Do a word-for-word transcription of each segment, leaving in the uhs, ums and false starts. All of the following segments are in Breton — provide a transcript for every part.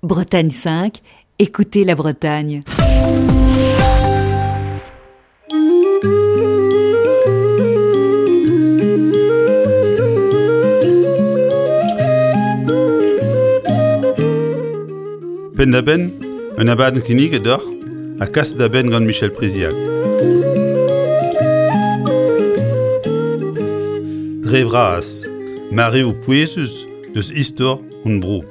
Bretagne cinq, écoutez la Bretagne. Penn-da-benn, un abadenn kinniget deoc'h ha kaset da benn gant Michel Priziac. Dre vras, mareoù pouezus deus istor hon bro.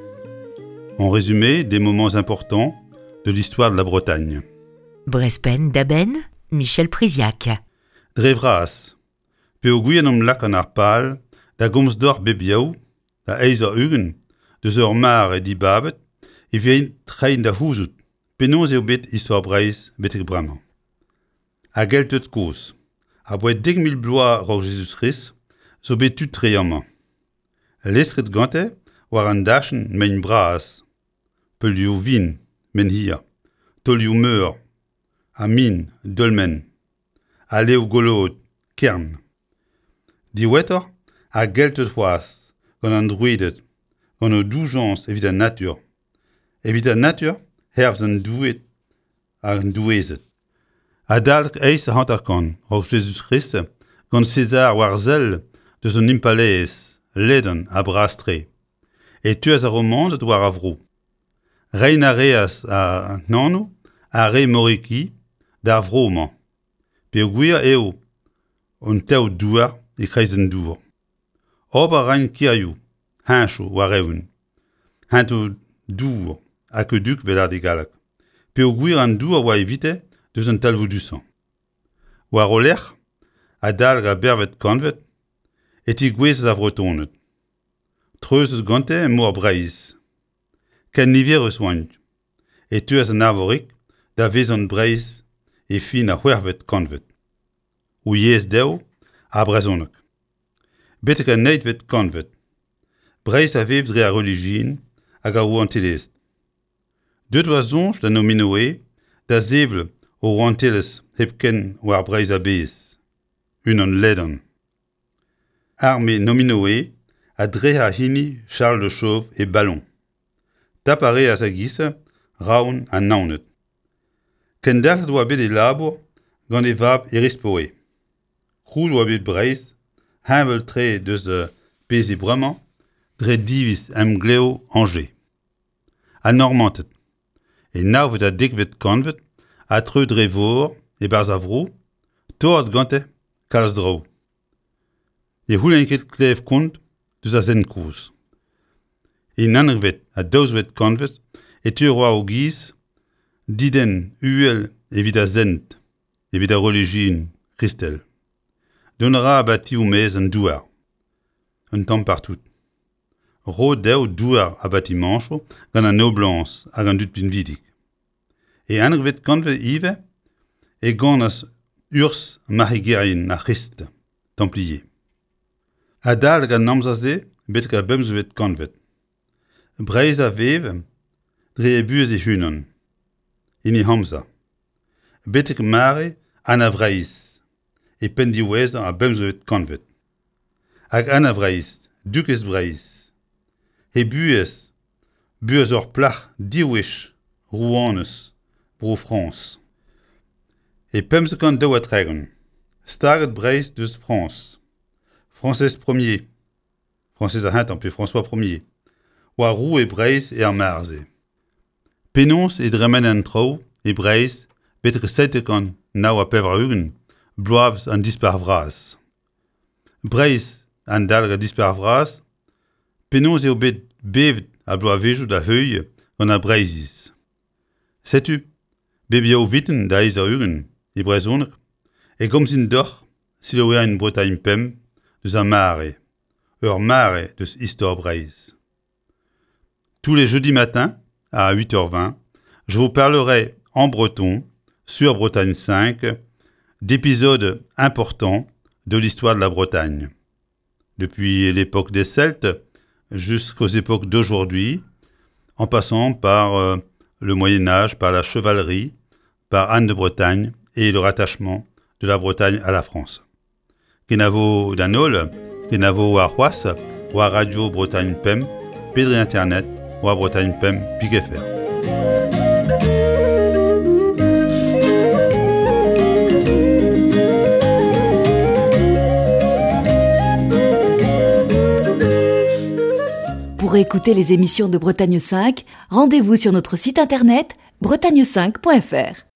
En résumé, des moments importants de l'histoire de la Bretagne. Brezh Penn-da-Benn, Michel Priziac. Dre vras, peogwir en em lak an ar pal da gomz deoc'h bep yaou, da eizh eur ugent, deus ur mare dibabet, e vin treiñ da c'houzout penaos eo bet istor Breizh betek bremañ. Ar Gelted kozh, abaoe dek mil bloaz a-raok Jezuz-Krist, zo bet tud tre amañ. Lestret gante war an dachenn mein bras, peulioù vin, menhir, taolioù meur, ha min, dolmen, aleoù goloet, kern. Diwezhatoc'h, ar Gelted c'hoazh, gant an Drouided, gant o doujañs evit an natur. Evit an natur, hervez an doueed hag an doueezed. Adalek eizh ha hanter-kant a-raok Jezuz-Krist, gant Sezar war-sell deus un impalaezh ledan ha bras-tre, e teuas ar Romaned war ar vro. Reiñ a reas an anv ar Aremoriki d'ar vro-mañ, peogwir eo un tev-douar e-kreiz an dour. Ober a raint kirioù, heñchoù war-eeun, hentoù dour, aqueduc vel e galleg, peogwir an dour a oa evite deus an talvoudusañ. War o lerc'h, adalek ar bedervet kantved, e tegouezhas ar Vretoned. Treuzet gante mor Breizh. Ken niverus oant, e teuas an Arvorig da vezañ Breizh e fin ar c'hwec'hvet kantved. O yezh dezho, ar brezhoneg. Betek an eizhvet kantved, Breizh a vev dre ar relijion hag ar rouantelezh. Deuet oa soñj da Nominoe da sevel o rouantelezh hepken war Breizh a-bezh, unan ledan. Arme Nominoe a drec'has hini Charles le Chauve e Ballon. Tap a reas a-giz Roazhon ha Naoned. Kendalc'het oa bet e labour gant e vab Erispoe. Krouet oa bet Breizh, heñvel-tre deus pezh eo bremañ, dre diviz emglev Angers. An Normanted. E navet ha dekvet kantved a treu dre vor e-barzh ar vro, torret gante kalz draoù. Ne c'houlenn ket klev kont deus ar sent kozh. E naontekvet ha daouzekvet kantved e teu war o giz didenn uhel evit ar sent, evit ar relijion kristel. Dont a ra abatioù maez an douar, un tamm partout. Roet dezho douar ha batimañchoù gant an noblañs hag an dud pinvidik. E unekvet kantved ivez e ganas urzh marc'hegerien ar C'hrist, Templier. Adalek an amzer-se betek ar bemzekvet kantved. Breizh a vev dre e buhez e-unan, hini amzer. Betek mare Anna Vreizh, e penn diwezhañ ar bemzekvet kantved. Hag Anna Vreizh, dukez Breizh, he buhez, buhez ur plac'h div wech rouanez Bro-Frañs. E pemzek kant daou ha tregont, staget Breizh deus Frañs. Frañsez Premier, Frañsez ar c'hentañ pe François Premier, oa roue Breizh er mare-se. Penaos e dremen an traoù e Breizh betek seitek kant nav ha pevar-ugent, bloavezh an Dispac'h Vras. Breizh an dalc'h an Dispac'h Vras, penaos eo bet bevet ar bloavezhioù da heuilh gant ar Breizhiz. Setu, bep yaou vintin da eizh eur ugent e brezhoneg, e gomzin deoc'h selaouerien Bretagne pemp deus ar mare, ur mare deus istor Breizh. Tous les jeudis matins, à huit heures vingt, je vous parlerai en breton, sur Bretagne cinq, d'épisodes importants de l'histoire de la Bretagne. Depuis l'époque des Celtes jusqu'aux époques d'aujourd'hui, en passant par, euh, le Moyen-Âge, par la chevalerie, par Anne de Bretagne et le rattachement de la Bretagne à la France. Kenavo d'an holl, kenavo warc'hoazh, war Radio Bretagne Pemp, pe dre Internet, war Bretagne pemp pik F R. Pour écouter les émissions de Bretagne cinq, rendez-vous sur notre site internet bretagne cinq point F R.